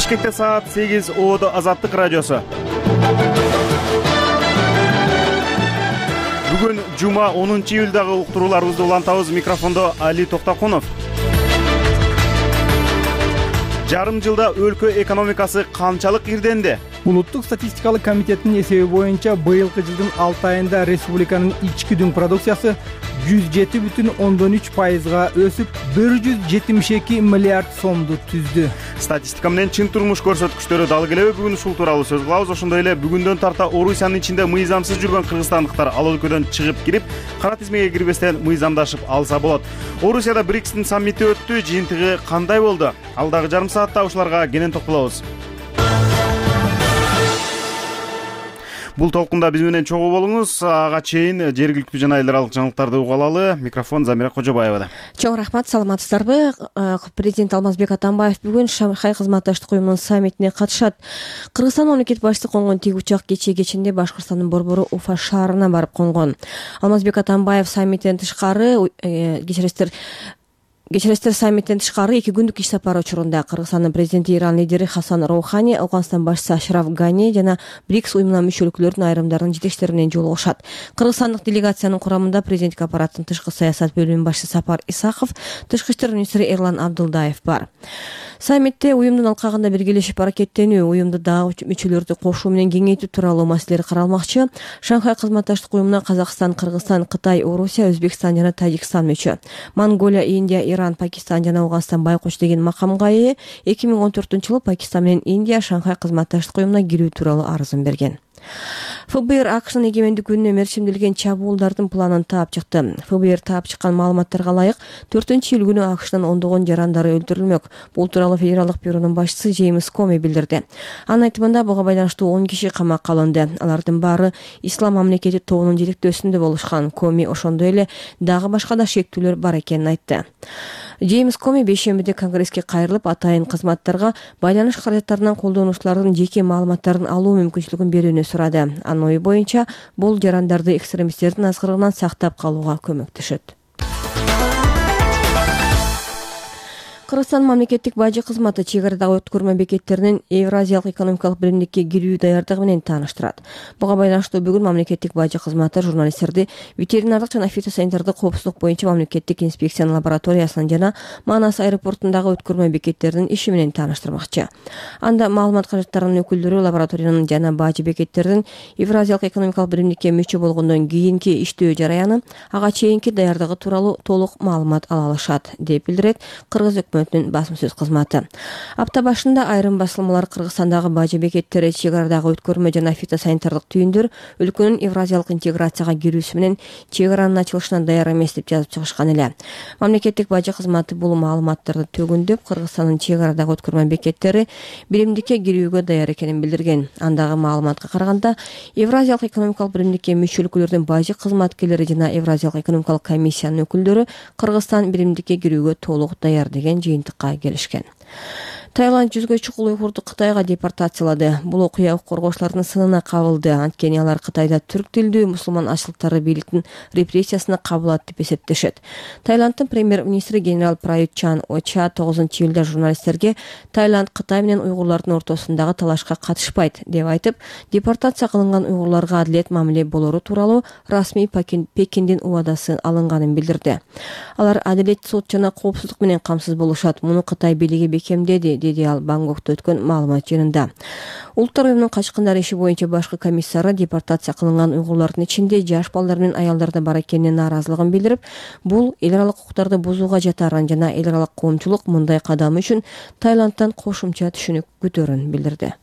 Бишкекте саат 8 ООД Азаттык радиосу. Бүгүн жума 10-июлдагы уктурууларыбызды улантабыз. Микрофондо Али Токтокунов. Жарым жылда өлкө экономикасы канчалык ирденди? Улуттук статистикалык комитеттин эсеби боюнча быйылкы жылдын 6 айында республиканын ички дүң продукциясы 107,3%га өсүп 172 миллиард сомду түздү. Статистика менен чын турмуш көрсөткүчтөрү дал келеби? Бүгүн ушул тууралуу сөз кылабыз. Ошондой эле бүгүндөн тарта Орусиянын ичинде мыйзамсыз жүргөн кыргызстандыктар ал өлкөдөн чыгып кирип, кара тизмеге кирбестен мыйзамдашып алса болот. Орусияда БРИКСтин саммити өттү. Жыйынтыгы кандай болду? Алдагы жарым саатта ушуларга кенен токтолобуз. Бул толкунда биз менен чогуу болуңуз. Ага чейин жергиликтүү жана эл аралык жаңылыктарды уга алалы. Микрофон Замира Кожобаевада. Чоң рахмат, саламатсыздарбы? Президент Алмазбек Атамбаев бүгүн Шанхай кызматташтык уюмунун саммитине катышат. Кыргызстан мамлекет башчысы конгон тик учак кечинде Башкырстандын борбору Уфа шаарына барып конгон. Алмазбек Атамбаев саммиттен тышкары Кечиресиздер, саммиттен тышкары 2 күндүк иш сапары учурунда Кыргызстандын президенти Иран лидери Хасан Роухани, Афганистан башчысы Ашраф Гани жана БРИКС уюмуна мүчө өлкөлөрдүн айрымдарынын жетекчилери менен жолугушат. Кыргызстандык делегациянын курамында президенттик аппараттын тышкы саясат бөлүмүнүн башчысы Сапар Исаков, тышкы иштер министри Эрлан Абдылдаев бар. Саммитте уюмдун алкагында биргелешип аракеттенүү, уюмду дагы мүчөлөрдү кошуу менен кеңейтүү тууралуу маселелер каралмакчы. Шанхай кызматташтык уюмуна Казакстан, Кыргызстан, Кытай, Орусия, Өзбекстан жана Тажикстан мүчө. Монголия, Индия, Иран, Пакистан жана Афганистан байкоч деген макамга ээ. 2014-жылы Пакистан менен Индия Шанхай кызматташтык уюмуна кирүү тууралуу арызын берген. ФБР АКШнын эгемендик күнүнө мерчимделген чабуулдардын планын таап чыкты. ФБР таап чыккан маалыматтарга ылайык 4-июль күнү АКШнын ондогон жарандары өлтүрүлмөк. Бул тууралуу федералдык бюронун башчысы Джеймс Коми билдирди. Анын айтымында буга байланыштуу 10 киши камакка алынды. Алардын баары Ислам мамлекети тобунун жетектөөсүндө болушкан. Коми ошондой эле дагы башка да шектүүлөр бар экенин айтты. Джеймс Коми бейшембиде Конгресске кайрылып, атайын кызматтарга байланыш каражаттарынан колдонуучулардын жеке маалыматтарын алуу мүмкүнчүлүгүн берүүнү сурады. Анын ою боюнча бул жарандарды экстремисттердин азгырыгынан сактап калууга көмөктөшөт. Кыргызстан мамлекеттик бажы кызматы чек арадагы өткөрмө бекеттеринин Евразиялык экономикалык биримдикке кирүү даярдыгы менен тааныштырат. Буга байланыштуу бүгүн мамлекеттик бажы кызматы журналисттерди ветеринардык жана фитосанитардык коопсуздук боюнча мамлекеттик инспекциянын лабораториясынын жана Манас аэропортундагы өткөрмө бекеттеринин иши менен тааныштырмакчы. Анда маалымат каражаттарынын өкүлдөрү лабораториянын жана бажы бекеттердин Евразиялык экономикалык биримдикке мүчө болгондон кийинки иштөө жараяны, ага чейинки даярдыгы тууралуу толук маалымат ала алышат, деп билдирет Кыргыз басым-сөз кызматы. Апта башында айрым басылмалар Кыргызстандагы бажы бекеттери, чек арадагы өткөрмө жана фитосанитардык түйүндөр өлкөнүн евразиялык интеграцияга кирүүсү менен чек аранын ачылышына даяр эмес деп жазып чыгышкан эле. Мамлекеттик бажы кызматы бул маалыматтарды төгүндөп, Кыргызстандын чек арадагы өткөрмө бекеттери биримдикке кирүүгө даяр экенин билдирген. Андагы маалыматка караганда, Евразиялык экономикалык биримдикке мүчө өлкөлөрдүн бажы кызматкерлери жана Евразиялык экономикалык комиссиянын өкүлдөрү Кыргызстан биримдикке кирүүгө толук даяр деген жыйынтыкка келишкен. Таиланд жүзгө чукул уйгурду Кытайга депортациялады. Бул окуя укук коргоочулардын сынына кабылды. Анткени алар Кытайда түрк тилдүү мусулман ашылыктары бийликтин репрессиясына кабылат деп эсептешет. Таиланддын премьер-министри генерал Прают Чан Оча 9-июлда журналисттерге Таиланд Кытай менен уйгурлардын ортосундагы талашка катышпайт деп айтып, депортация кылынган уйгурларга адилет мамиле болору тууралуу расмий Пекиндин убадасы алынганын билдирди. Алар адилет, сот жана коопсуздук менен камсыз болушат. Муну Кытай бийлиги бекемдеди, деди ал Бангкокто өткөн маалымат жыйынында. Улуттар уюмунун качкындар иши боюнча башкы комиссары депортация кылынган уйгурлардын ичинде жаш балдар менен аялдар да бар экенине нааразылыгын билдирип, бул эл аралык укуктарды бузууга жатарын жана эл аралык коомчулук мындай кадам үчүн Таиландтан кошумча түшүнүк күтөөрүн билдирди.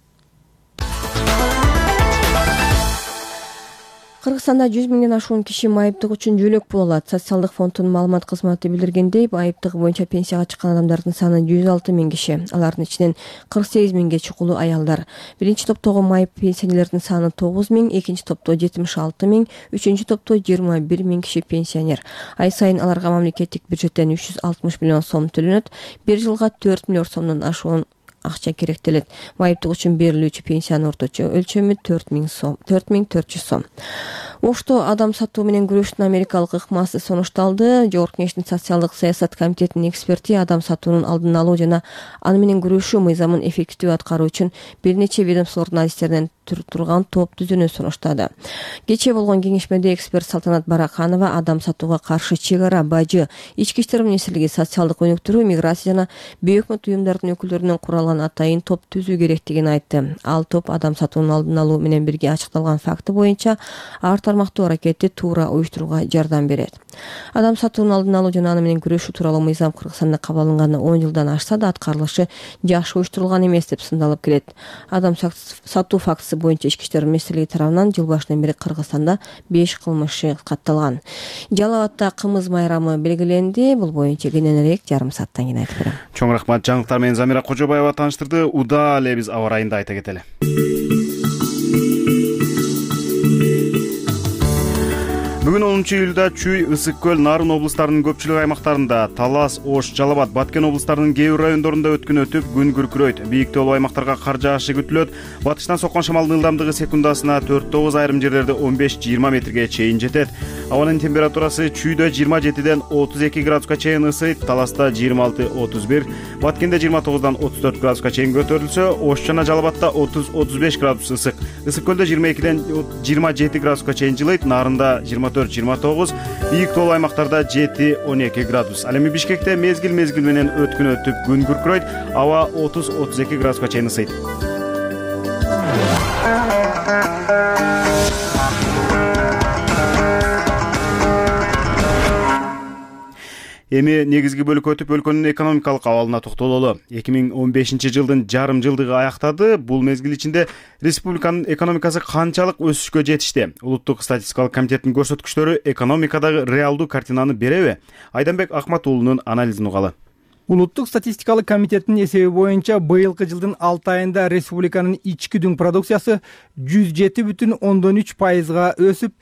Кыргызстанда 100 миңден ашуун киши майыптык үчүн жөлөк боло алат. Социалдык фонддун маалымат кызматы билдиргендей, майыптыгы боюнча пенсияга чыккан адамдардын саны 106 миң киши. Алардын ичинен 48 миңге чукулу аялдар. Биринчи топтогу майып пенсионерлердин саны 9 миң, экинчи топто 76 миң, үчүнчү топто 21 миң киши пенсионер. Ай сайын аларга мамлекеттик бюджеттен 360 миллион сом төлөнөт. Бир жылга 4 миллиард сомдон ашуун акча керектелет. Майыптык үчүн берилүүчү пенсиянын орточо өлчөмү 4400 сом. Ошто адам сатуу менен күрөштүн америкалык ыкмасы сунушталды. Жогорку Кеңештин социалдык саясат комитетинин эксперти адам сатуунун алдын алуу жана аны менен күрөшүү мыйзамын эффективдүү аткаруу үчүн бир нече ведомстволордун адистеринен турган топ түзүүнү сунуштады. Кечээ болгон кеңешмеде эксперт Салтанат Бараканова адам сатууга каршы чек ара, бажы, ички иштер министрлиги, социалдык өнүктүрүү, миграция жана бейөкмөт уюмдардын өкүлдөрүнөн куралган атайын топ түзүү керектигин айтты. Ал топ адам сатуунун алдын алуу менен бирге ачыкталган факты боюнча ар тармактуу аракетти туура уюштурууга жардам берет. Адам сатуунун алдын алуу жана аны менен күрөшүү тууралуу мыйзам Кыргызстанда кабыл алынганына 10 жылдан ашса да аткарылышы жакшы уюштурулган эмес деп сындалып келет. Адам сатуу фактысы боюнча ички иштер министрлиги тарабынан жыл башынан бери Кыргызстанда 5 кылмыш катталган. Жалал абадта кымыз майрамы белгиленди. Бул боюнча кененирээк жарым сааттан кийин айтып берем. Чоң рахмат. Жаңылыктар менен Замира Кожобаева тааныштырды. Удаа эле биз аба ырайында айта кетели. Бүгүн 10-июлда Чүй, Ысык көл, Нарын облустарынын көпчүлүк аймактарында, Талас, Ош, Жалал абад, Баткен облустарынын кээ бир райондорунда өткүн өтүп, күн күркүрөйт. Бийиктүү аймактарга кар жаашы күтүлөт. Батыштан соккон шамалдын ылдамдыгы секундасына 4-9, айрым жерлерде 15-20 метрге чейин жетет. Абанын температурасы Чүйдө 27ден 32 градуска чейин ысыйт, Таласта 26-31, Баткенде 29дан 34 градуска чейин көтөрүлсө, Ош жана Жалал абадта 30-35 градус ысык. Ысык көлдө 22ден 27 градуска чейин жылыйт, Нарында 24-29, бийик тоолуу аймактарда 7-12 градус. Ал эми Бишкекте мезгил менен өткүн өтүп, күн күркүрөйт, аба 30-32 градуска чейин ысыйт. Эми негизги бөлүккө өтүп, өлкөнүн экономикалык абалына токтололу. 2015 жылдын жарым жылдыгы аяктады. Бул мезгил ичинде республиканын экономикасы канчалык өсүшкө жетишти? Улуттук статистикалык комитеттин көрсөткүчтөрү экономикадагы реалдуу картинаны береби? Айданбек Акматуулунун анализин угалы. Улуттук статистикалык комитеттин эсеби боюнча быйылкы жылдын 6 айында республиканын ички дүң продукциясы 107,3%га өсүп,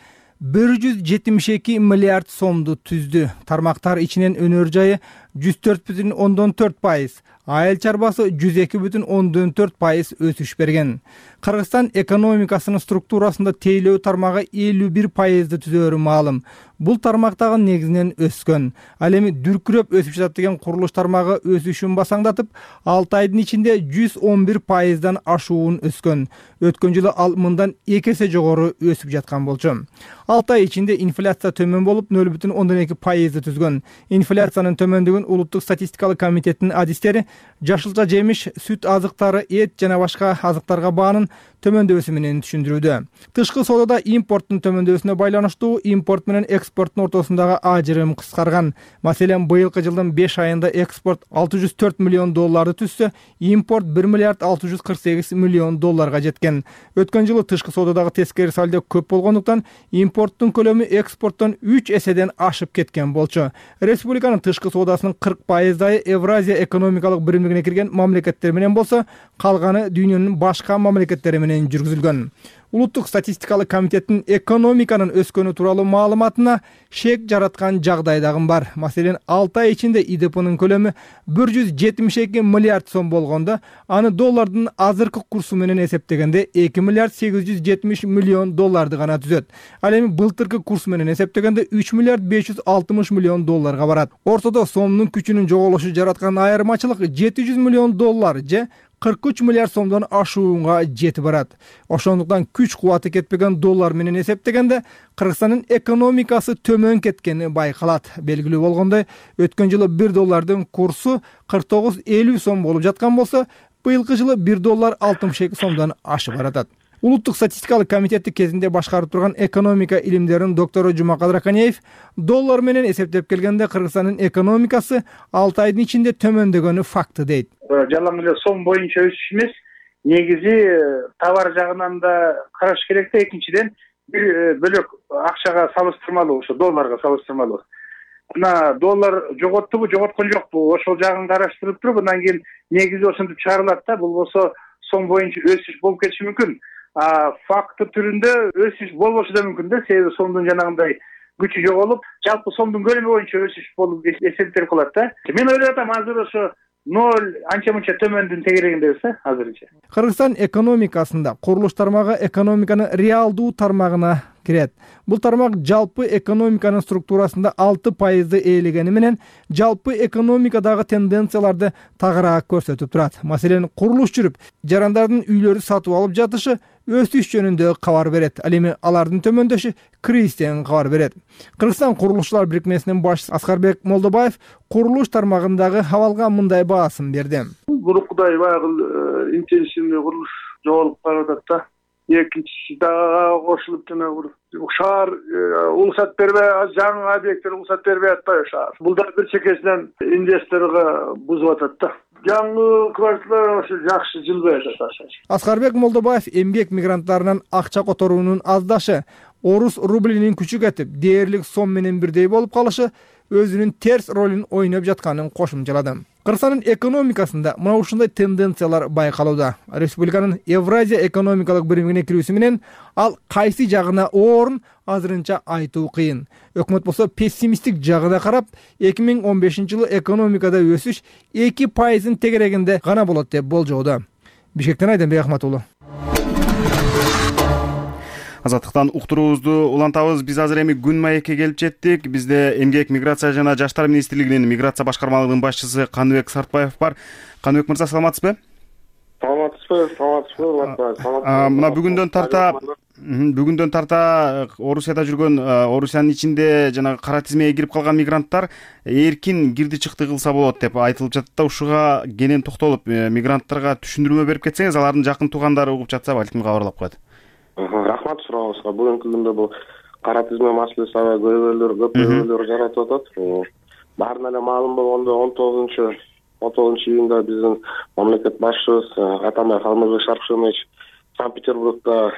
172 миллиард сомду түздү. Тармактар ичинен өнөр жайы 104,4%, айыл чарбасы 102,4% өсүш берген. Кыргызстан экономикасынын структурасында тейлөө тармагы 51%ды түзөөрү маалым. Бул тармактагы негизинен өскөн. Ал эми дүркүрөп өсүп жатат деген курулуш тармагы өсүшүн басаңдатып, 6 айдын ичинде 111%дан ашуун өскөн. Өткөн жылы ал мындан 2 эсе жогору өсүп жаткан болчу. 6 ай ичинде инфляция төмөн болуп 0,2%ды түзгөн. Инфляциянын төмөндүгүн Улуттук статистикалык комитеттин адистери жашылча жемиш, сүт азыктары, эт жана башка азыктарга баанын төмөндөбүсү менен түшүндүрүүдө. Тышкы соодада импорттун төмөндөбүсүнө байланыштуу импорт менен экспорттун ортосундагы ажырым кыскарган. Маселен, быйылкы жылдын 5 айында экспорт $604 миллион түзсө, импорт $1,648 миллион жеткен. Өткөн жылы тышкы соодадагы тескери сальдо көп болгондуктан импорттун көлөмү экспорттон 3 эседен ашып кеткен болчу. Республиканын тышкы соодасынын 40%ы Евразия экономикалык биримдигине кирген мамлекеттер менен болсо, калганы дүйнөнүн башка мамлекеттери менен жүргүзүлгөн. Улуттук статистикалык комитеттин экономиканын өскөнү тууралуу маалыматына шек жараткан жагдай дагы бар. Маселен, 6 ай ичинде ИДПнын көлөмү 172 миллиард сом болгондо, аны доллардын азыркы курсу менен эсептегенде 2 миллиард 870 миллион долларды гана түзөт. Ал эми былтыркы курс менен эсептегенде 3 миллиард 560 миллион долларга барат. Ортодо сомдун күчүнүн жоголушу жараткан айырмачылык 700 миллион доллар же 43 миллиард сомдон ашуунга жетип барат. Ошондуктан күч кубаты кетпеген доллар менен эсептегенде Кыргызстандын экономикасы төмөн кеткени байкалат. Белгилүү болгондой, өткөн жылы 1 доллардын курсу 49,50 сом болуп жаткан болсо, быйылкы жылы 1 доллар 62 сомдон ашып баратат. Улуттук статистикалык комитетти кезинде башкарып турган экономика илимдеринин доктору Жумакадыр Аканеев доллар менен эсептеп келгенде Кыргызстандын экономикасы 6 айдын ичинде төмөндөгөнү факты дейт. Жалаң эле сом боюнча өсүш эмес, негизи товар жагынан да караш керек да, экинчиден бир бөлөк акчага салыштырмалуу, ошо долларга салыштырмалуу. Мына доллар жоготтубу, жоготкон жокпу, ошол жагын караштырып туруп, андан кийин негизи ошентип чыгарылат да. Бул болсо сом боюнча өсүш болуп кетиши мүмкүн. Факты түрүндө өсүш болбошу да мүмкүн да, себеби сомдун жанагындай күчү жоголуп, жалпы сомдун көлөмү боюнча өсүш болуп эсептелип калат да. Мен ойлоп атам, азыр ошо 0 анча-мынча төмөндүн тегерегинде Кыргызстан экономикасында курулуш тармагы экономиканын реалдуу тармагына кирет. Бул тармак жалпы экономиканын структурасында 6% ээлегени менен жалпы экономикадагы тенденцияларды тагыраак көрсөтүп турат. Маселен, курулуш жүрүп, жарандардын үйлөрү сатып алып жатышы өсүш жөнүндө кабар берет. Ал эми алардын төмөндөшү кризистен кабар берет. Кыргызстан курулушчулар бирикмесинин башчысы Аскарбек Молдобаев курулуш тармагындагы абалга мындай баасын берди. Бурукудай баягы интенсивный курулуш жоголуп баратат да. Экинчиси дагы кошулуп жана шаар уруксат бербей, жаңы объекттер уруксат бербей атпайбы шаар. Бул да бир чекесинен инвесторго бузуп атат да. Жаңы кварталар ошо жакшы жылбай атат. Аскарбек Молдобаев эмгек мигранттарынан акча которуунун аздашы, орус рублинин күчү кетип, дээрлик сом менен бирдей болуп калышы өзүнүн терс ролун ойноп жатканын кошумчалады. Кыргызстандын экономикасында мына ушундай тенденциялар байкалууда. Республиканын Евразия экономикалык биримине кирүүсү менен ал кайсы жагына оорун азырынча айтуу кыйын. Өкмөт болсо пессимисттик жагына карап, 2015-жылы экономикада өсүш 2% тегерегинде гана болот деп болжоодо. Бишкектен Айденбек Ахматуллу. Азаттыктан уктуруубузду улантабыз. Биз азыр эми күн маекке келип жеттик. Бизде Эмгек, миграция жана жаштар министрлигинин миграция башкармалыгынын башчысы Каныбек Сартбаев бар. Каныбек мырза, саламатсызбы? Саламатсызбы. Мына бүгүндөн тарта Орусияда жүргөн, Орусиянын ичинде жана кара тизмеге кирип калган мигранттар эркин кирди чыкты кылса болот деп айтылып жатат да. Ушуга кенен токтолуп, мигранттарга түшүндүрмө берип кетсеңиз, алардын жакын туугандары угуп жатса, балким кабарлап коет. Рахмат суроосуңузга. Бүгүнкү күндө бул кара тизме маселеси аябай көп көйгөйлөр жаратып атат. Баарына эле маалым болгондой 19 июнда биздин мамлекет башчыбыз Атамбаев Алмазбек Шаркшенович Санкт-Петербургда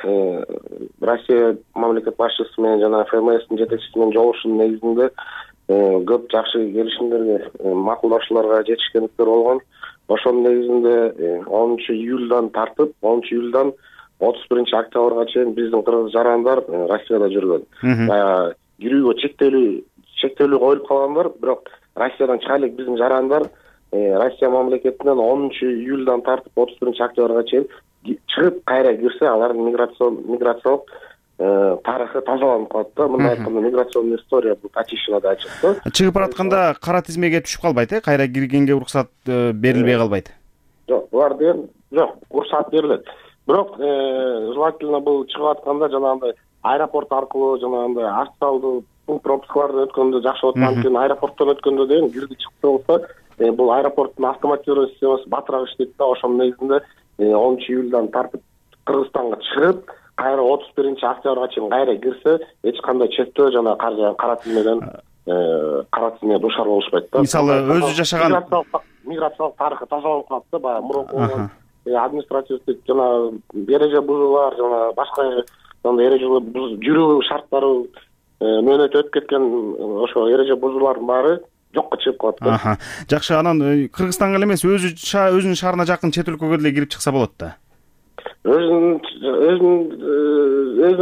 Россия мамлекет башчысы менен жана ФМСдин жетекчиси менен жолугушуунун негизинде көп жакшы келишимдерге, макулдашууларга жетишкендиктер болгон. Ошонун негизинде 10-июлдан тартып 31-октябрга чейин биздин кыргыз жарандар Россияда жүргөн. Кирүүгө чектелүү коюлуп калгандар, бирок Россиядан чыга элек биздин жарандар Россия мамлекетинен 10-июлдан тартып 31-октябрга чейин чыгып кайра кирсе, алардын миграциялык тарыхы тазаланып калат да. Мындай айтканда, миграционная история бул очищена да чыкты. Чыгып баратканда кара тизмеге түшүп калбайт, кайра киргенге уруксат берилбей калбайт. Жок, булар деген жок, уруксат берилет. Бирок желательно бул чыгып атканда жанагындай аэропорт аркылуу жанагындай официалдуу пункт пропускалардан өткөндө жакшы болот. Анткени аэропорттон өткөндө деген кирди чыкты болсо, бул аэропорттун автоматизированный системасы батыраак иштейт да. Ошонун негизинде 10-июлдан тартып Кыргызстанга чыгып, кайра 31-октябрга чейин кайра кирсе, эч кандай чектөө жана кара тизмеге душар болушпайт да. Мисалы, өзү жашаган миграциялык тарыхы тазаланып калат да. Баягы мурунку болгон административдик жана эреже бузуулар жана башка эреже жүрүү шарттары мөөнөтү өтүп кеткен ошо эреже бузуулардын баары жокко чыгып калат да. Жакшы, анан Кыргызстанга эле эмес, өзүнүн шаарына жакын чет өлкөгө деле кирип чыкса болот да. Өзүнө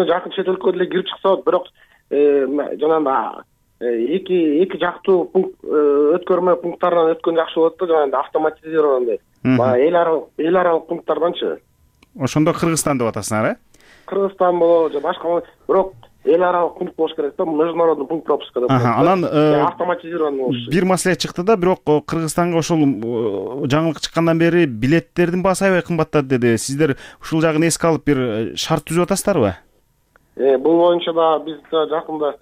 жакын чет өлкөгө деле кирип чыкса болот, бирок жанагындай эки жактуу өткөрмө пункттарынан өткөн жакшы болот да. Жанагындай автоматизированный эл аралык пункттарданчы. Ошондо Кыргызстан деп атасыңар, Кыргызстан болобу же башка, бирок эл аралык пункт болуш керек да. Международный пункт пропуска деп коет. Анан автоматизированный болуш. Бир маселе чыкты да, бирок Кыргызстанга ошол жаңылык чыккандан бери билеттердин баасы аябай кымбаттады деди. Сиздер ушул жагын эске алып бир шарт түзүп атасыздарбы? Бул боюнча да биз жакында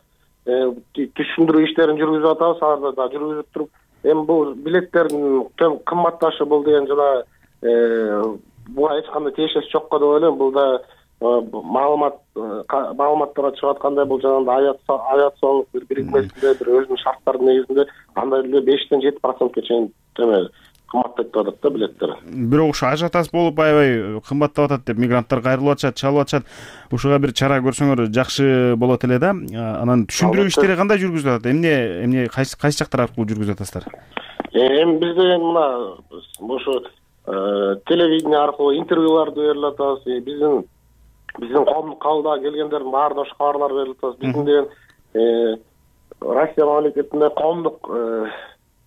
түшүндүрүү иштерин жүргүзүп атабыз. Аларда да жүргүзүп туруп, эми бул билеттердин кымбатташы бул деген жана буга эч кандай тиешеси жок деп ойлойм. Бул да маалыматтарга чыгып аткандай, бул жанагындай авиациялык бир бирикмесинде бир өзүнүн шарттардын негизинде андай эле 5-7%-ке чейин кымбаттап атат да билеттер. Бирок ушу ажиотаж болуп аябай кымбаттап атат деп мигранттар кайрылып атышат, чалып атышат. Ушуга бир чара көрсөңөр жакшы болот эле да. Анан түшүндүрүү иштери кандай жүргүзүлүп атат? Эмне кайсы жактар аркылуу жүргүзүп атасыздар? Эми биз деген мына ошо телевидение аркылуу интервьюларды берип атабыз. Биздин коомдук кабылдага келгендердин баарына ошо кабарлар берип атабыз. Биздин деген Россия мамлекетинде коомдук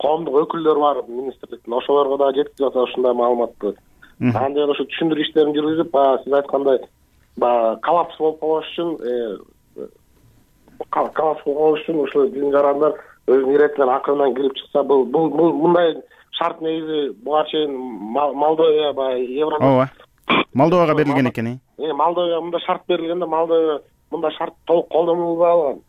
өкүлдөр бар министрликтин, ошолорго да жеткизип атат ушундай маалыматты. Анан деген ошо түшүндүрүү иштерин жүргүзүп, сиз айткандай коллапс болуп калбаш үчүн коллапс болбош үчүн ушул биздин жарандар өзүнүн иретинен акырынан кирип чыкса, бул мындай шарт негизи буга чейин Молдовия баягы евро. Ооба. Молдовага берилген экен. Молдовия мындай шарт берилген да, Молдовия мындай шарт толук колдонулбай алган.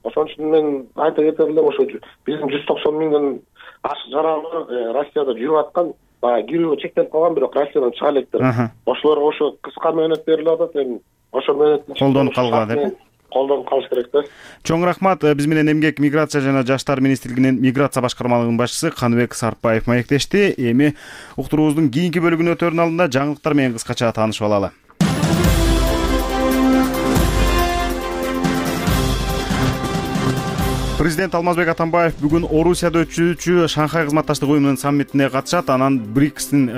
Ошон үчүн мен айта кетер элем, ошо биздин 190 миңден ашык жарандар Россияда жүрүп аткан, баягы кирүү чектелип калган, бирок Россиядан чыга электир. Ошолорго ошо кыска мөөнөт берилип атат, эми ошо мөөнөт колдонуп калгыла деп. Колдонуп калыш керек да. Чоң рахмат. Биз менен Эмгек, миграция жана жаштар министрлигинин миграция башкармалыгынын башчысы Каныбек Сарпаев маектешти. Эми уктуруубуздун кийинки бөлүгүнө өтөрүнүн алдында жаңылыктар менен кыскача таанышып алалы. Президент Алмазбек Атамбаев бүгүн Орусияда өтүүчү Шанхай кызматташтык уюмунун саммитине катышат. Анан БРИКСтин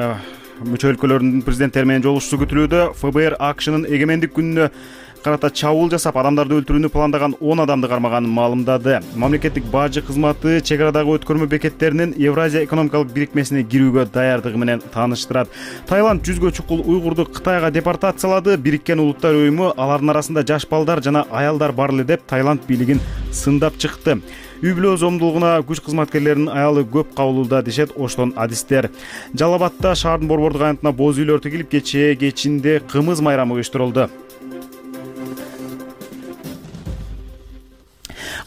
мүчө өлкөлөрүнүн президенттери менен жолугушуусу күтүлүүдө. ФБР АКШнын эгемендик күнүнө карата чабуул жасап, адамдарды өлтүрүүнү пландаган 10 адамды кармаганын маалымдады. Мамлекеттик бажы кызматы чек арадагы өткөрмө бекеттеринин Евразия экономикалык бирикмесине кирүүгө даярдыгы менен тааныштырат. Таиланд 100гө чукул уйгурду Кытайга депортациялады. Бириккен Улуттар уюму алардын арасында жаш балдар жана аялдар бар эле деп Таиланд бийлигин сындап чыкты. Үй-бүлө зомдулугуна күч кызматкерлеринин аялы көп кабылууда дешет Оштон адистер. Жалал Абадта шаардын борбордук аянтына боз үйлөр тигилип, кечинде кымыз майрамы уюштурулду.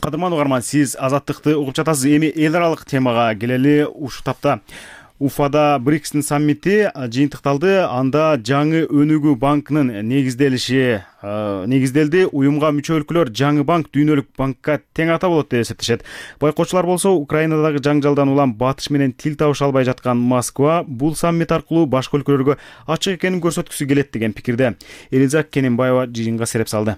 Кадырман угарман, сиз Азаттыкты угуп жатасыз. Эми эл аралык темага келели. Ушул тапта Уфада БРИКСтин саммити жыйынтыкталды. Анда жаңы өнүгүү банкынын негизделди. Уюмга мүчө өлкөлөр жаңы банк дүйнөлүк банкка тең ата болот деп эсептешет. Байкоочулар болсо, Украинадагы жаңжалдан улам батыш менен тил табыша албай жаткан Москва бул саммит аркылуу башка өлкөлөргө ачык экенин көрсөткүсү келет деген пикирде. Элиза Кененбаева жыйынга сереп салды.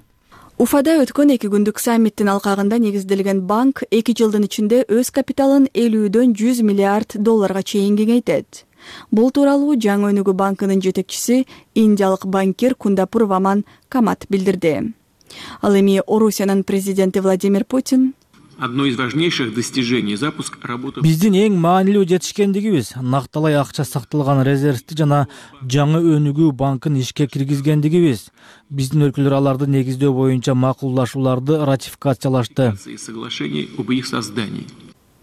Уфада өткөн 2 күндүк саммиттин алкагында негизделген банк 2 жылдын ичинде өз капиталын 50дөн 100 миллиард долларга чейин кеңейтет. Бул тууралуу жаңы өнүгүү банкынын жетекчиси индиялык банкир Кундапур Ваман Камат билдирди. Ал эми Орусиянын президенти Владимир Путин одно из важнейших достижений запуск работы. Биздин эң маанилүү жетишкендигибиз накталай акча сакталган резервди жана жаңы өнүгүү банкын ишке киргизгендигибиз. Биздин өлкөлөр аларды негиздөө боюнча макулдашууларды ратификациялашты. Соглашений об их создании.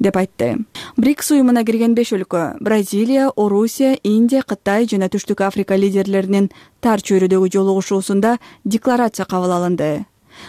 деп айтты. БРИКС уюмуна кирген 5 өлкө Бразилия, Орусия, Индия, Кытай жана Түштүк Африка лидерлеринин тар чөйрөдөгү жолугушуусунда декларация кабыл алынды.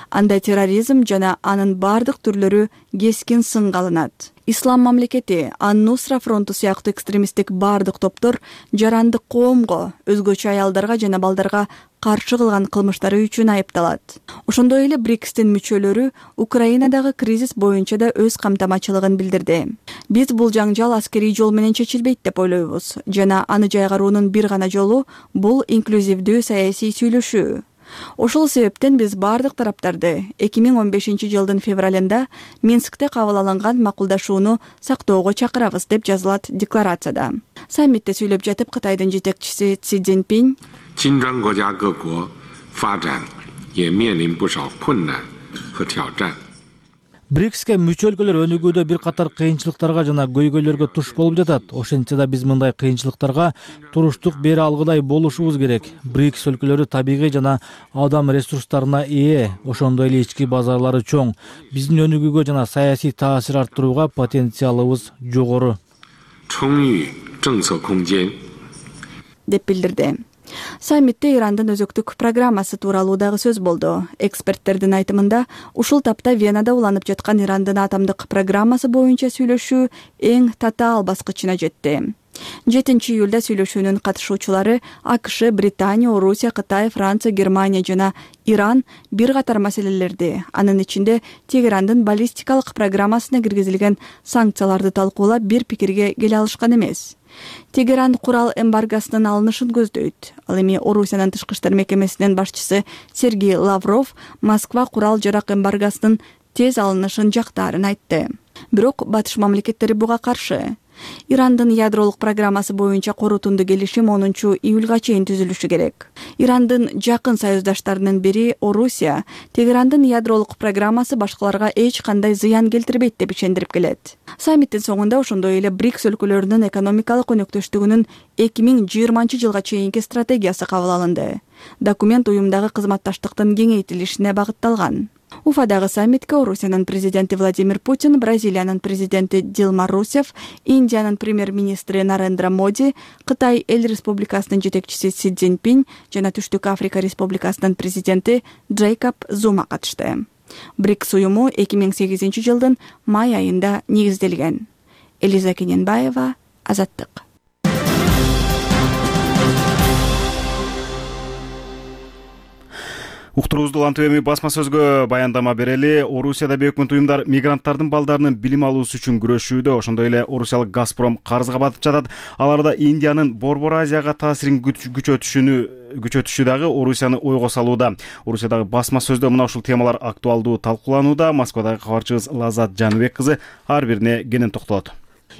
Анда терроризм жана анын бардык түрлөрү кескин сынга алынат. Ислам мамлекети, Ан-Нусра фронту сыяктуу экстремисттик бардык топтор жарандык коомго, өзгөчө аялдарга жана балдарга каршы кылган кылмыштары үчүн айыпталат. Ошондой эле БРИКСтин мүчөлөрү Украинадагы кризис боюнча да өз камтамачылыгын билдирди. Биз бул жаңжал аскерий жол менен чечилбейт деп ойлойбуз жана аны жайгаруунун бир гана жолу бул инклюзивдүү саясий сүйлөшүү. Ошол себептен биз бардык тараптарды 2015 жылдын февралында Минскте кабыл алынган макулдашууну сактоого чакырабыз деп жазылат декларацияда. Саммитте сүйлөп жатып Кытайдын жетекчиси Си Цзиньпин БРИКСке мүчө өлкөлөр өнүгүүдө бир катар кыйынчылыктарга жана көйгөйлөргө туш болуп жатат. Ошентсе да биз мындай кыйынчылыктарга туруштук бере алгыдай болушубуз керек. БРИКС өлкөлөрү табигый жана адам ресурстарына ээ, ошондой эле ички базарлары чоң. Биздин өнүгүүгө жана саясий таасир арттырууга потенциалыбыз жогору деп билдирди. Саммитте Ирандын өзөктүк программасы тууралуу дагы сөз болду. Эксперттердин айтымында, ушул тапта Венада уланып жаткан Ирандын атомдук программасы боюнча сүйлөшүү эң татаал баскычына жетти. 7 июлда сүйлөшүүнүн катышуучулары АКШ, Британия, Орусия, Кытай, Франция, Германия жана Иран бир катар маселелерди, анын ичинде Тегерандын баллистикалык программасына киргизилген санкцияларды талкуулап бир пикирге келе алышкан эмес. Тегеран курал эмбаргосунун алынышын көздөйт. Ал эми Орусиянын тышкы иштер мекемесинин башчысы Сергей Лавров Москва курал жарак эмбаргосунун тез алынышын жактаарын айтты. Бирок батыш мамлекеттери буга каршы. Ирандын ядролук программасы боюнча корутунду келишим 10 июлга чейин түзүлүшү керек. Ирандын жакын союздаштарынын бири Орусия Тегерандын ядролук программасы башкаларга эч кандай зыян келтирбейт деп ишендирип келет. Саммиттин соңунда ошондой эле БРИКС өлкөлөрүнүн экономикалык өнөктөштүгүнүн 2020 жылга чейинки стратегиясы кабыл алынды. Документ уюмдагы кызматташтыктын кеңейтилишине багытталган. Уфадагы саммитке Орусиянын президенти Владимир Путин, Бразилиянын президенти Дилма Русефф, Индиянын премьер-министри Нарендра Моди, Кытай Эл Республикасынын жетекчиси Си Цзиньпин жана Түштүк Африка Республикасынын президенти Джейкоб Зума катышты. БРИКС уюму 2008 жылдын май айында негизделген. Элиза Кененбаева, Азаттык. Уктуруубузду улантып эми басма сөзгө баяндама берели. Орусияда өкмөт уюмдар мигранттардын балдарынын билим алуусу үчүн күрөшүүдө. Ошондой эле орусиялык Газпром карызга батып жатат. Аларда Индиянын Борбор Азияга таасирин күчөтүшү дагы Орусияны ойго салууда. Орусиядагы басма сөздө мына ушул темалар актуалдуу талкууланууда. Москвадагы кабарчыбыз Лазат Жаныбек кызы ар бирине кенен токтолот.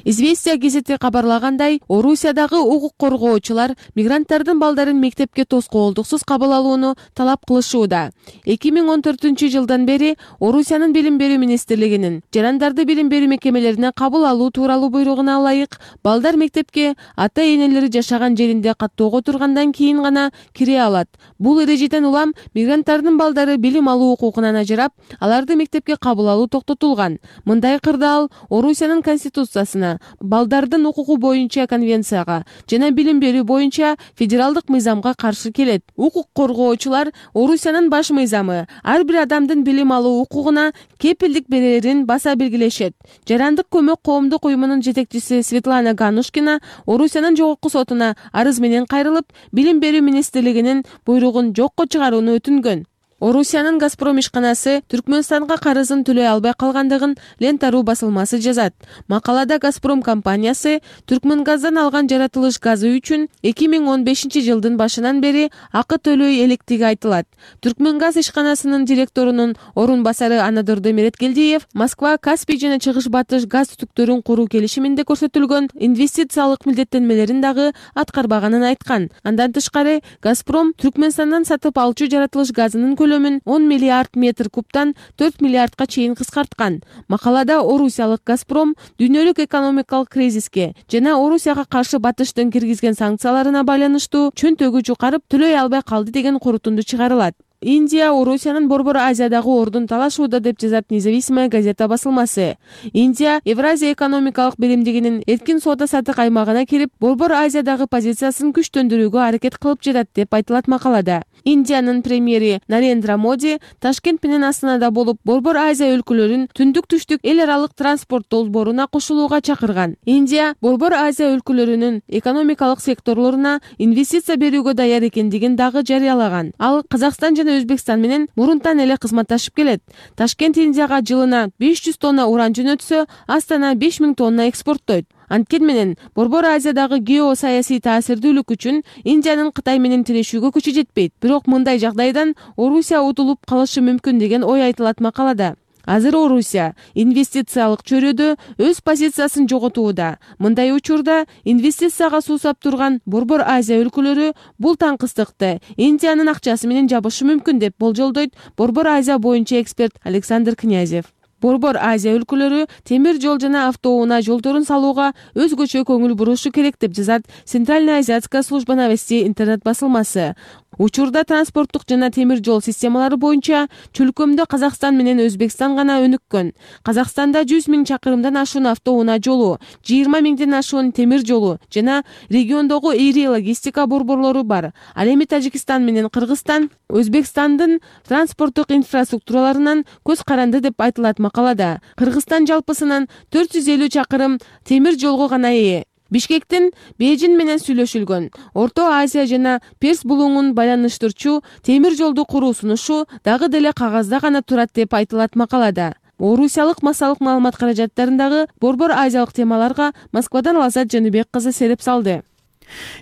Известия гезити кабарлагандай, Орусиядагы укук коргоочулар мигранттардын балдарын мектепке тоскоолдуксуз кабыл алууну талап кылышууда. 2014 жылдан бери Орусиянын билим берүү министрлигинин жарандарды билим берүү мекемелерине кабыл алуу тууралуу буйругуна ылайык балдар мектепке ата-энелери жашаган жеринде каттоого тургандан кийин гана кире алат. Бул эрежеден улам мигранттардын балдары билим алуу укугунан ажырап, аларды мектепке кабыл алуу токтотулган. Мындай кырдаал Орусиянын конституциясына, балдардын укугу боюнча конвенцияга жана билим берүү боюнча федералдык мыйзамга каршы келет. Укук коргоочулар Орусиянын баш мыйзамы ар бир адамдын билим алуу укугуна кепилдик берерин баса белгилешет. Жарандык көмөк коомдук уюмунун жетекчиси Светлана Ганушкина Орусиянын жогорку сотуна арыз менен кайрылып, билим берүү министрлигинин буйругун жокко чыгарууну өтүнгөн. Орусиянын Газпром ишканасы Түркмөнстанга карызын төлөй албай калгандыгын Лента.ру басылмасы жазат. Макалада Газпром компаниясы Түркмөнгаздан алган жаратылыш газы үчүн 2015 жылдын башынан бери акы төлөй электиги айтылат. Түркмөнгаз ишканасынын директорунун орун басары Анадыр Демиреткелдиев Москва, Каспий жана Чыгыш Батыш газ түтүктөрүн куруу келишиминде көрсөтүлгөн инвестициялык милдеттенмелерин дагы аткарбаганын айткан. Андан тышкары Газпром Түркмөнстандан сатып алчу жаратылыш газынын 10 миллиард метр кубтан 4 миллиардка чейин кыскарткан. Макалада Орусиялык Газпром дүйнөлүк экономикалык кризиске жана Орусияга каршы Батыштын киргизген санкцияларына байланыштуу чөнтөгү жукарып төлөй албай калды деген корутунду чыгарылат. Индия Орусиянын Борбор Азиядагы ордун талашууда деп жазат Независимая газета басылмасы. Индия Евразия экономикалык биримдигинин эркин соода-саттык аймагына кирип, Борбор Азиядагы позициясын күчтөндүрүүгө аракет кылып жатат деп айтылат макалада. Индиянын премьери Нарендра Моди Ташкент менен Астанада болуп, Борбор Азия өлкөлөрүн түндүк-түштүк эл аралык транспорт долбооруна кошулууга чакырган. Индия Борбор Азия өлкөлөрүнүн экономикалык секторлоруна инвестиция берүүгө даяр экендигин дагы жарыялаган. Ал Казакстан жана Өзбекстан менен мурунтан эле кызматташып келет. Ташкент Индияга жылына 500 тонна уран жөнөтсө, Астана 5000 тонна экспорттойт. Анткени менен Борбор Азиядагы геосаясий таасирдүүлүк үчүн Индиянын Кытай менен тирешүүгө күчү жетпейт. Бирок мындай жагдайдан Орусия утулуп калышы мүмкүн деген ой айтылат макалада. Азыр Орусия инвестициялык чөйрөдө өз позициясын жоготууда. Мындай учурда инвестицияга суусап турган Борбор Азия өлкөлөрү бул таңкыстыкты Индиянын акчасы менен жабышы мүмкүн деп болжолдойт Борбор Азия боюнча эксперт Александр Князев. Борбор Азия өлкөлөрү темир жол жана автоунаа жолдорун салууга өзгөчө көңүл бурушу керек деп жазат Центральная азиатская служба новостей интернет басылмасы. Учурда транспорттук жана темир жол системалары боюнча чөлкөмдө Казакстан менен Өзбекстан гана өнүккөн. Казакстанда 100 000 чакырымдан ашуун автоунаа жолу, 20 000ден ашуун темир жолу жана региондогу ири логистика борборлору бар. Ал эми Тажикстан менен Кыргызстан Өзбекстандын транспорттук инфраструктураларынан көз каранды деп айтылат макалада. Кыргызстан жалпысынан 450 чакырым темир жолго гана ээ. Бишкектин Бейжин менен сүйлөшүлгөн. Орто Азия жана Перс булуңун байланыштырчу темир жолду куруу сунушу дагы деле кагазда гана турат деп айтылат макалада. Орусиялык массалык маалымат каражаттарындагы Борбор Азиялык темаларга Москвадан Лазат Жаныбек кызы сереп салды.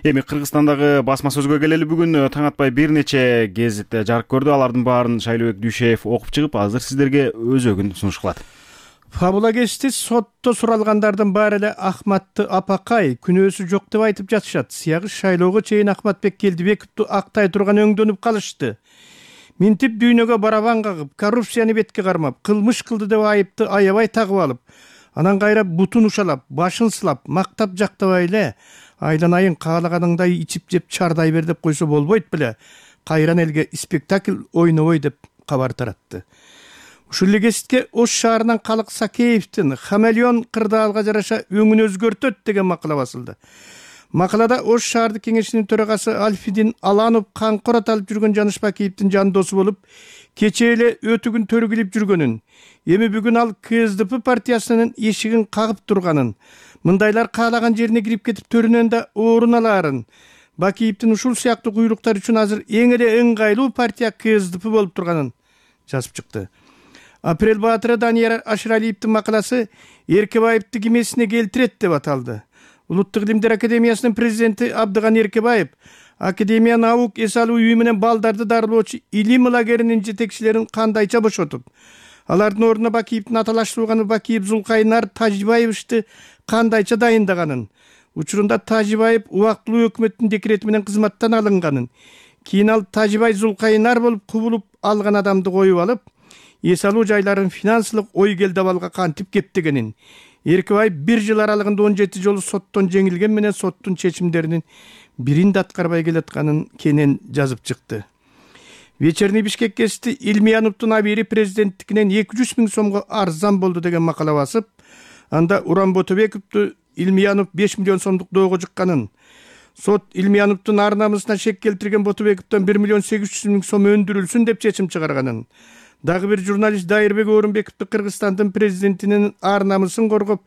Эми Кыргызстандагы басма сөзгө келели. Бүгүн таң атпай бир нече гезит жарык көрдү. Алардын баарын Шайлообек Дүйшеев окуп чыгып, азыр сиздерге өзөгүн сунуш кылат. Фабула кечти сотто суралгандардын баары эле Ахматты апакай күнөөсү жок деп айтып жатышат. Сыягы шайлоого чейин Ахматбек Келдибековду актай турган өңдөнүп калышты. Минтип дүйнөгө барабан кагып, коррупцияны бетке кармап, кылмыш кылды деп айыпты аябай тагып алып, анан кайра бутун ушалап, башын сылап, мактап жактабай эле айланайын каалаганыңдай ичип жеп чардай бер деп койсо болбойт беле. Кайран элге спектакль ойнобой деп кабар таратты. Ушул эле кесипте Ош шаарынан Калык Сакеевдин хамелеон кырдаалга жараша өңүн өзгөртөт деген макала басылды. Макалада Ош шаардык кеңешинин төрагасы Альфидин Аланов камкор аталып жүргөн Жаныш Бакиевдин жандоосу болуп, кечээ эле өтүгүн төргүлүп жүргөнүн, эми бүгүн ал КСДП партиясынын эшигин кагып турганын, мындайлар каалаган жерине кирип кетип төрүнөн да орун алаарын, Бакиевдин ушул сыяктуу куйлуктар үчүн азыр эң эле ыңгайлуу партия КСДП болуп турганын жазып чыкты. Апрель баатыры Данияр Ашыралиевдин макаласы Эркебаевди кимесине келтирет деп аталды. Улуттук илимдер академиясынын президенти Абдыган Эркебаев Академия наук эс алуу үйү менен балдарды дарылоочу илим лагеринин жетекчилерин кандайча бошотуп, алардын ордуна Бакиевдин аталаш тууганы Бакиев Зулкайнар Тажибаевичти кандайча дайындаганын, учурунда Тажибаев убактылуу өкмөттүн декрети менен кызматтан алынганын, кийин ал Тажибай Зулкайнар болуп кубулуп алган адамды коюп алып, эс алуу жайларын финансылык ойгел дабалга кантип кептегенин, Эркебаев 1 жыл аралыгында 17 жолу соттон жеңилген менен соттун чечимдеринин бирин да аткарбай келатканын кенен жазып чыкты. Вечерний Бишкек гезити Илмияновдун абийири президенттикинен 200 000 сомго арзан болду деген макала басып, анда Уран Ботобековду Илмиянов 5 миллион сомдук доого жыкканын, сот Илмияновдун ар намысына шек келтирген Ботобековдон 1 миллион 800 000 сом өндүрүлсүн деп чечим чыгарганын, дагы бир журналист Дайырбек Орунбековду Кыргызстандын президентинин ар намысын коргоп,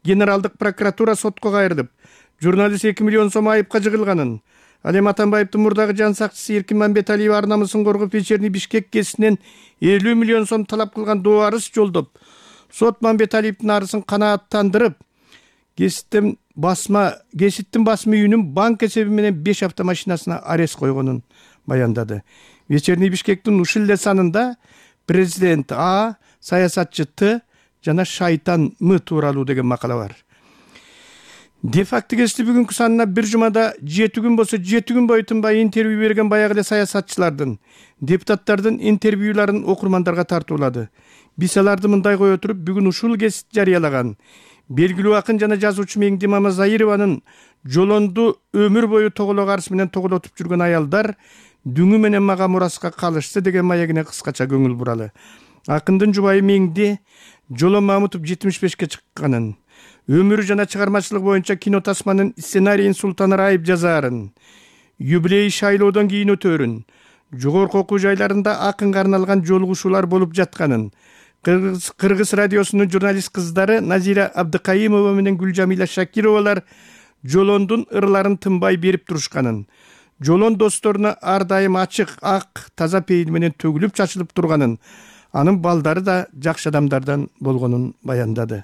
генералдык прокуратура сотко кайрылып, журналист 2 миллион сом айыпка жыгылганын, ал эми Атамбаевдин мурдагы жан сакчысы Эркин Мамбеталиев ар намысын коргоп, Вечерний Бишкек гезитинен 50 миллион сом талап кылган доо арыз жолдоп, сот Мамбеталиевдин арызын канааттандырып, гезиттин басма үйүнүн банк эсеби менен 5 автомашинасына арест койгонун баяндады. Вечерний Бишкектин ушул эле санында президент А, саясатчы Т жана шайтан М тууралуу деген макала бар. Де-факто гезити бүгүнкү санына бир жумада 7 күн болсо 7 күн бою тынбай интервью берген баягы эле саясатчылардын, депутаттардын интервьюларын окурмандарга тартуулады. Биз аларды мындай кое туруп, бүгүн ушул гезит жарыялаган белгилүү акын жана жазуучу Меңди Мамазайырованын жолонду өмүр бою тоголок арс менен тоголотуп жүргөн аялдар дүңү менен мага мураска калышты деген маегине кыскача көңүл буралы. Акындын жубайы Меңди Жолон Мамутов 75-ке чыкканын, өмүрү жана чыгармачылык боюнча кино тасманын сценарийин Султан Раип жазаарын, юбилей шайлоодон кийин өтөрүн, жогорку окуу жайларында акынга арналган жолугушуулар болуп жатканын, Кыргыз радиосунун журналист кыздары Назира Абдыкайымова менен Гүлжамила Шакировалар Жолондун ырларын тынбай берип турушканын, Жолон досторуна ар дайым ачык, ак, таза пейил менен төгүлүп чачылып турганын, анын балдары да жакшы адамдардан болгонун баяндады.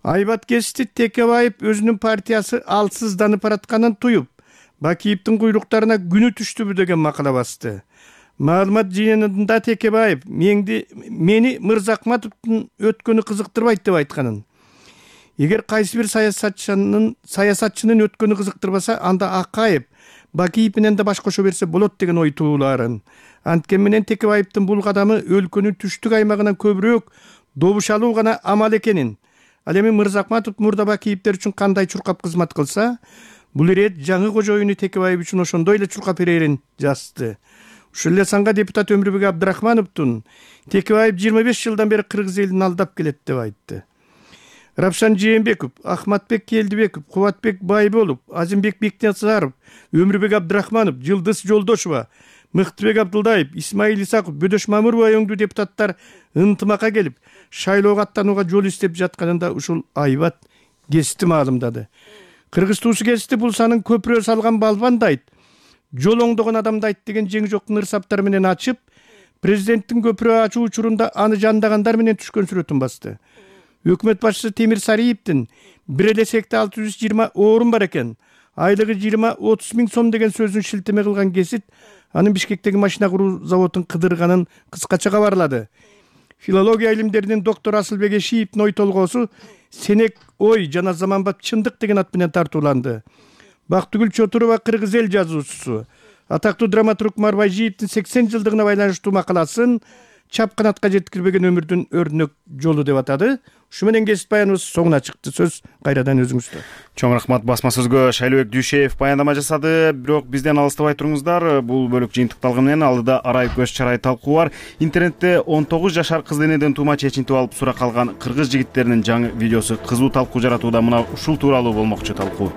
Айбат гезити Текебаев өзүнүн партиясы алсызданып баратканын туюп, Бакиевдин куйлуктарына күнү түштүбү деген макала басты. Маалымат жыйынында Текебаев мени Мырзакматовдун өткөнү кызыктырбайт деп айтканын. Эгер кайсы бир саясатчынын өткөнү кызыктырбаса, анда Акаев Бакиев менен да баш кошо берсе болот деген ой туулаарын. Анткени менен Текебаевдин бул кадамы өлкөнүн түштүк аймагынан көбүрөөк добуш алуу гана амал экенин, ал эми Мырзакматов мурда Бакиевдер үчүн кандай чуркап кызмат кылса, бул ирет жаңы кожоюну Текебаев үчүн ошондой эле чуркап берерин жазды. Ушул эле санга депутат Өмүрбек Абдрахмановдун Текебаев 25 жылдан бери кыргыз элин алдап келет деп айтты. Рапшан Жээнбеков, Ахматбек Келдибеков, Кубатбек Байболов, Азимбек Бекназаров, Өмүрбек Абдрахманов, Жылдыз Жолдошова, Мыктыбек Абдылдаев, Исмаил Исаков, Бөдөш Мамырбай өңдүү депутаттар ынтымакка келип, шайлоого аттанууга жол издеп жатканында ушул Айбат гезити маалымдады. Кыргыз туусу гезити бул санын көпүрө салган балбандайт, жол оңдогон адамдайт деген жеңи жоктун ырсаптары менен ачып, президенттин көпүрө ачуу учурунда аны жандагандар менен түшкөн сүрөтүн басты. Өкмөт башчысы Темир Сариевдин бир эле секте 620 орун бар экен, айлыгы 20-30 миң сом деген сөзүн шилтеме кылган гезит анын Бишкектеги машина куруу заводун кыдырганын кыскача кабарлады. Филология илимдеринин доктору Асылбек Эшиевдин ой толгоосу Сенек ой жана заманбап чындык деген ат менен тартууланды. Бактыгүл Чотурова кыргыз эл жазуучусу атактуу драматург Марбайжиевдин 80 жылдыгына байланыштуу макаласын чапканатка жеткирбеген өмүрдүн өрнөк жолу деп атады. Ушу менен кесип баяныбыз соңуна чыкты. Сөз кайрадан өзүңүздө. Чоң рахмат. Басма сөзгө Шайлыбек Дүйшеев баяндама жасады. Бирок бизден алыстабай туруңуздар. Бул бөлүк жыйынтыкталганы менен алдыда арай көз чарай талкуу бар. Интернетте 19 жашар кыз денеден туума чечинтип алып сурак алган кыргыз жигиттеринин жаңы видеосу кызуу талкуу жаратууда. Мына ушул тууралуу болмокчу талкуу.